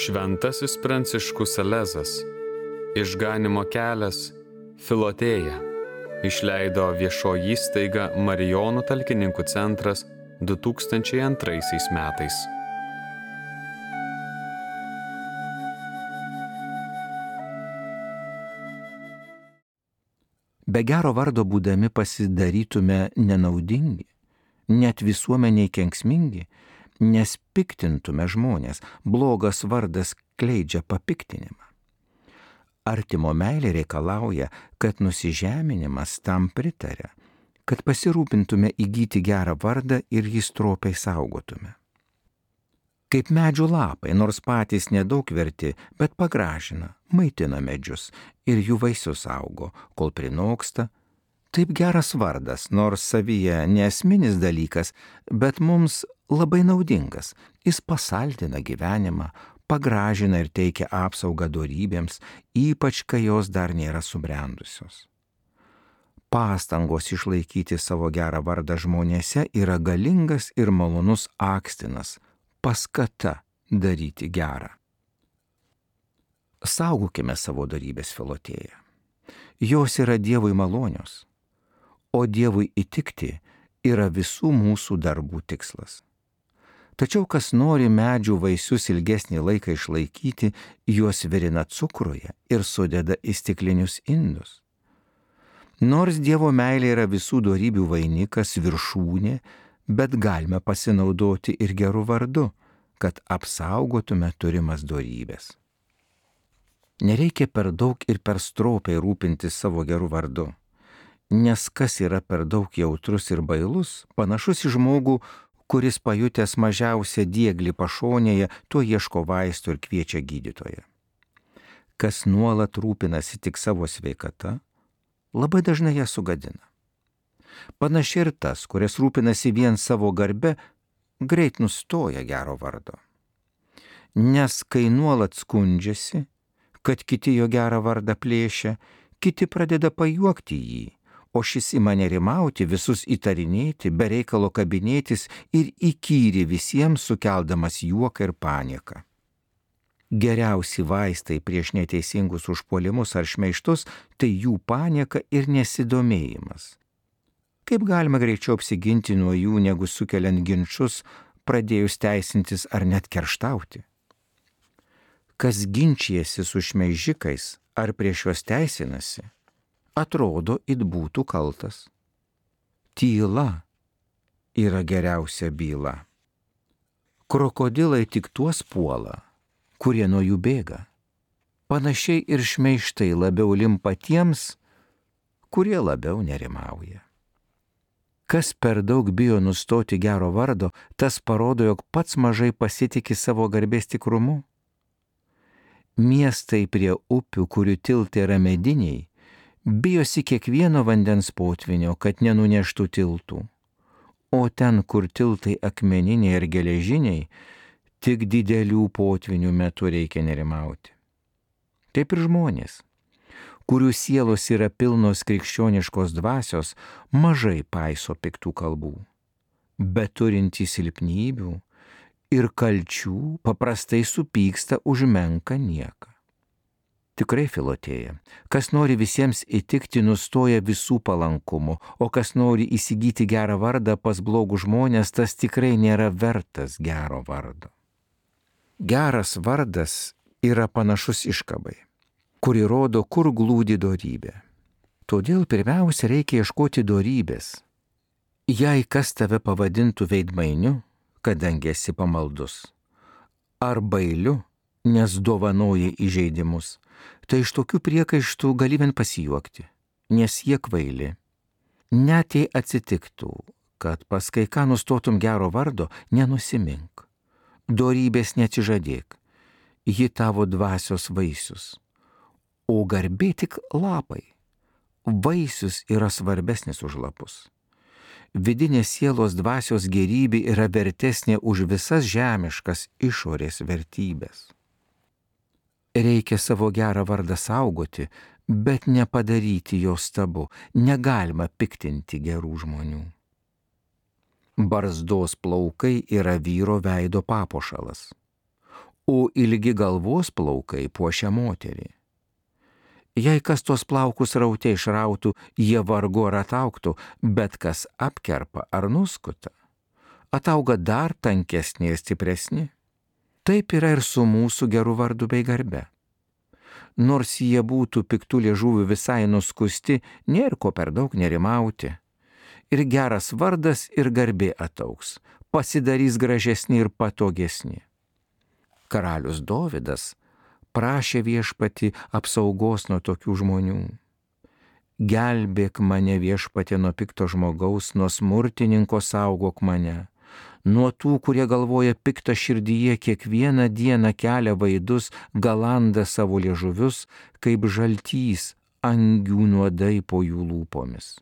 Šventasis Pranciškus Salezas, Išganymo kelias, Filotėja, išleido viešoji įstaiga Marijonų talkininkų centras 2002 metais. Be gero vardo būdami pasidarytume nenaudingi, net visuomeniai kenksmingi, nes piktintume žmonės, blogas vardas kleidžia papiktinimą. Artimo meilė reikalauja, kad nusižeminimas tam pritaria, kad pasirūpintume įgyti gerą vardą ir jį stropiai saugotume. Kaip medžių lapai, nors patys nedaug verti, bet pagražina, maitina medžius ir jų vaisius augo, kol prinoksta. Taip geras vardas, nors savyje neesminis dalykas, bet mums labai naudingas. Jis pasaldina gyvenimą, pagražina ir teikia apsaugą dorybėms, ypač kai jos dar nėra subrendusios. Pastangos išlaikyti savo gerą vardą žmonėse yra galingas ir malonus akstinas, paskata daryti gerą. Saugokime savo dorybės, Filotėja. Jos yra Dievui malonios, o Dievui įtikti yra visų mūsų darbų tikslas. Tačiau kas nori medžių vaisius ilgesnį laiką išlaikyti, juos virina cukruje ir sudeda į stiklinius indus. Nors Dievo meilė yra visų dorybių vainikas, viršūnė, bet galime pasinaudoti ir geru vardu, kad apsaugotume turimas dorybės. Nereikia per daug ir per stropiai rūpintis savo geru vardu, nes kas yra per daug jautrus ir bailus, panašus į žmogų, kuris pajutęs mažiausią dieglį pašonėje, tuo ieško vaistų ir kviečia gydytoją. Kas nuolat rūpinasi tik savo sveikata, labai dažnai ją sugadina. Panašiai ir tas, kuris rūpinasi vien savo garbe, greit nustoja gero vardo. Nes kai nuolat skundžiasi, kad kiti jo gerą vardą plėšia, kiti pradeda pajuokti jį, o šis ima nerimauti, visus įtarinėti, be reikalo kabinėtis ir įkyri visiems sukeldamas juoką ir panieką. Geriausi vaistai prieš neteisingus užpuolimus ar šmeižtus tai jų panieka ir nesidomėjimas. Kaip galima greičiau apsiginti nuo jų, negu sukeliant ginčus, pradėjus teisintis ar net kerštauti? Kas ginčijasi su šmeižikais ar prieš juos teisinasi, atrodo, it būtų kaltas. Tyla yra geriausia byla. Krokodilai tik tuos puola, kurie nuo jų bėga. Panašiai ir šmeižtai labiau limpa tiems, kurie labiau nerimauja. Kas per daug bijo nustoti gero vardo, tas parodo, jog pats mažai pasitiki savo garbės tikrumu. Miestai prie upių, kurių tiltai yra mediniai, bijosi kiekvieno vandens potvinio, kad nenuneštų tiltų. O ten, kur tiltai akmeniniai ir geležiniai, tik didelių potvinių metu reikia nerimauti. Taip ir žmonės, kurių sielos yra pilnos krikščioniškos dvasios, mažai paiso piktų kalbų, bet turintys silpnybių ir kalčių paprastai supyksta už menką nieką. Tikrai, Filotėja, kas nori visiems įtikti, nustoja visų palankumu, o kas nori įsigyti gerą vardą pas blogus žmonės, tas tikrai nėra vertas gero vardo. Geras vardas yra panašus iškabai, kuri rodo, kur glūdi dorybė. Todėl pirmiausia reikia ieškoti dorybės. Jei kas tave pavadintų veidmainiu, kadangi esi pamaldus, ar bailiu, nes dovanoji įžeidimus, tai iš tokių priekaištų gali vien pasijuokti, nes jie kvaili. Net jei atsitiktų, kad pas kai ką nustotum gero vardo, nenusimink. Dorybės neatsižadėk, ji tavo dvasios vaisius. O garbė tik lapai. Vaisius yra svarbesnis už lapus. Vidinės sielos dvasios gerybė yra vertesnė už visas žemiškas išorės vertybės. Reikia savo gerą vardą saugoti, bet nepadaryti jo stabu. Negalima piktinti gerų žmonių. Barzdos plaukai yra vyro veido papuošalas, o ilgi galvos plaukai puošia moterį. Jei kas tos plaukus raute išrautų, jie vargu ar ataugtų, bet kas apkerpa ar nuskuta, atauga dar tankesni ir stipresni. Taip yra ir su mūsų geru vardu bei garbe. Nors jie būtų piktų liežuvių visai nuskusti, nėra ko per daug nerimauti. Ir geras vardas ir garbė ataugs, pasidarys gražesni ir patogesni. Karalius Dovydas prašė Viešpatį apsaugos nuo tokių žmonių. Gelbėk mane, Viešpatie, nuo pikto žmogaus, nuo smurtininko saugok mane, nuo tų, kurie galvoja piktą širdyje, kiekvieną dieną kelia vaidus, galanda savo liežuvius, kaip žaltys angių nuodai po jų lūpomis.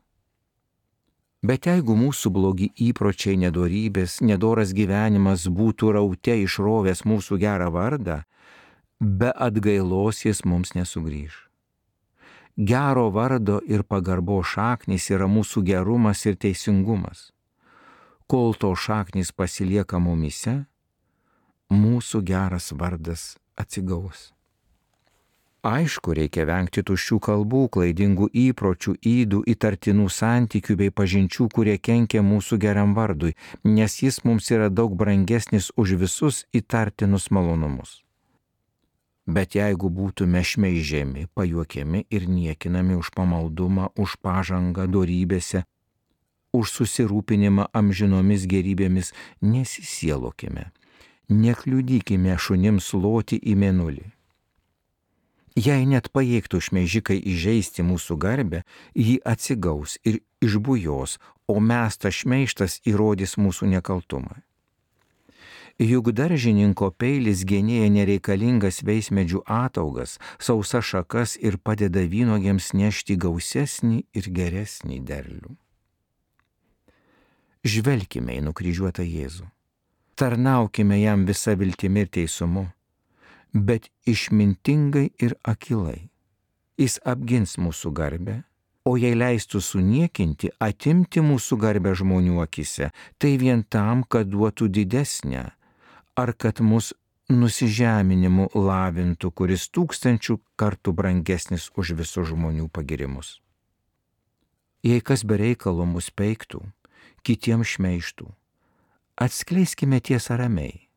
Bet jeigu mūsų blogi įpročiai, nedorybės, nedoras gyvenimas būtų raute išrovęs mūsų gerą vardą, be atgailos jis mums nesugrįž. Gero vardo ir pagarbo šaknys yra mūsų gerumas ir teisingumas. Kol to šaknys pasilieka mumyse, mūsų geras vardas atsigaus. Aišku, reikia vengti tuščių kalbų, klaidingų įpročių, ydų, įtartinų santykių bei pažinčių, kurie kenkia mūsų geram vardui, nes jis mums yra daug brangesnis už visus įtartinus malonumus. Bet jeigu būtume šmeižiami, pajuokiami ir niekinami už pamaldumą, už pažangą dorybėse, už susirūpinimą amžinomis gerybėmis, nesisielokime, nekliudykime šunims loti į mėnulį. Jei net pajėgtų šmeižikai įžeisti mūsų garbę, jį atsigaus ir išbujos, o mes tas šmeižtas įrodys mūsų nekaltumą. Juk daržininko peilis genėja nereikalingas veismedžių ataugas, sausas šakas ir padeda vynuogėms nešti gausesnį ir geresnį derlių. Žvelkime į nukryžiuotą Jėzų. Tarnaukime jam visą viltimi ir teisumu, bet išmintingai ir akilai. Jis apgins mūsų garbę, o jei leistų suniekinti, atimti mūsų garbę žmonių akise, tai vien tam, kad duotų didesnę, ar kad mus nusižeminimu lavintų, kuris 1000 kartų brangesnis už visus žmonių pagirimus. Jei kas be reikalo mus peiktų, kitiems šmeižtų, atskleiskime tiesą ramiai.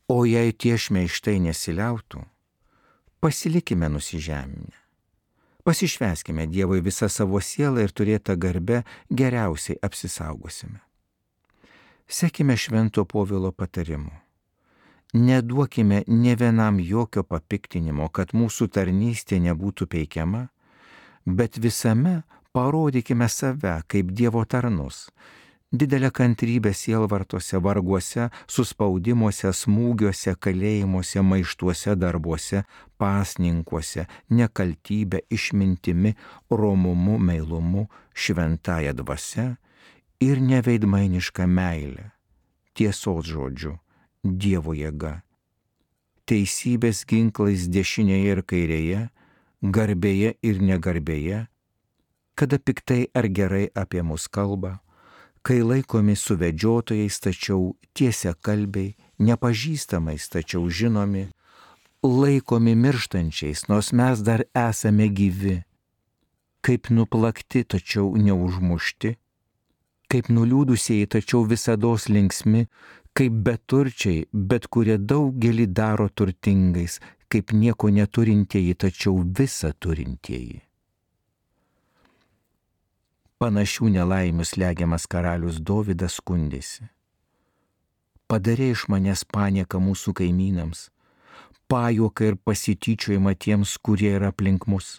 O jei tie šmeižtai nesiliautų, pasilikime nusižeminę. Pasišvęskime Dievui visą savo sielą ir turėtą garbę geriausiai apsisaugosime. Sekime Švento Povilo patarimu. Neduokime nė vienam jokio papiktinimo, kad mūsų tarnystė nebūtų peikiama, bet visame parodykime save kaip Dievo tarnus, didelę kantrybę sielvartose, varguose, suspaudimuose, smūgiuose, kalėjimuose, maištuose darbuose, pasninkuose, nekaltybę, išmintimi, romumu, meilumu, šventąja dvasia ir neveidmainiška meilė, tiesos žodžiu, Dievo jėga, teisybės ginklais dešinėje ir kairėje, garbėje ir negarbėje, kada piktai ar gerai apie mus kalba, kai laikomi suvedžiotojais, tačiau tiesiakalbiai, nepažįstamais, tačiau žinomi, laikomi mirštančiais, nors mes dar esame gyvi, kaip nuplakti, tačiau neužmušti, kaip nuliūdusieji, tačiau visados linksmi, kaip beturčiai, bet kurie daugelį daro turtingais, kaip nieko neturintieji, tačiau visa turintieji. Panašių nelaimių slegiamas karalius Dovydas skundėsi. Padarė iš manęs panieką mūsų kaimynams, pajuoką ir pasityčiojimą tiems, kurie yra aplink mus.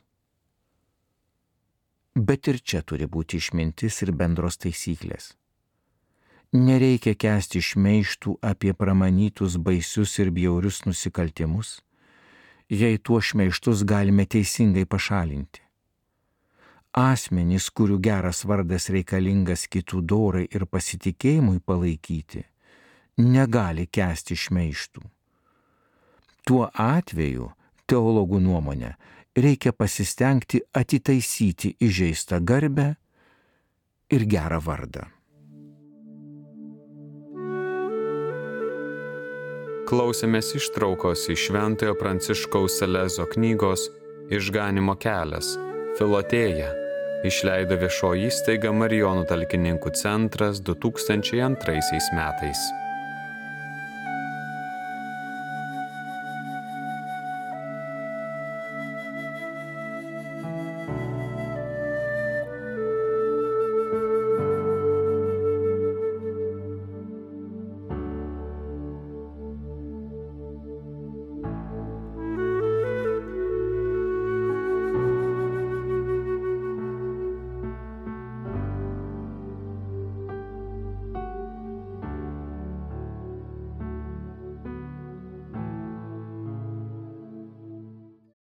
Bet ir čia turi būti išmintis ir bendros taisyklės. Nereikia kęsti šmeižtų apie pramanytus baisius ir bjaurius nusikaltimus, jei tuo šmeižtus galime teisingai pašalinti. Asmenys, kurių geras vardas reikalingas kitų dorai ir pasitikėjimui palaikyti, negali kęsti šmeižtų. Tuo atveju, teologų nuomonė, reikia pasistengti atitaisyti įžeistą garbę ir gerą vardą. Klausėmės ištraukos iš Šventojo Pranciškaus Salezo knygos Išganymo kelias – Filotėja. Išleido viešoji įstaiga Marijonų talkininkų centras 2002 metais.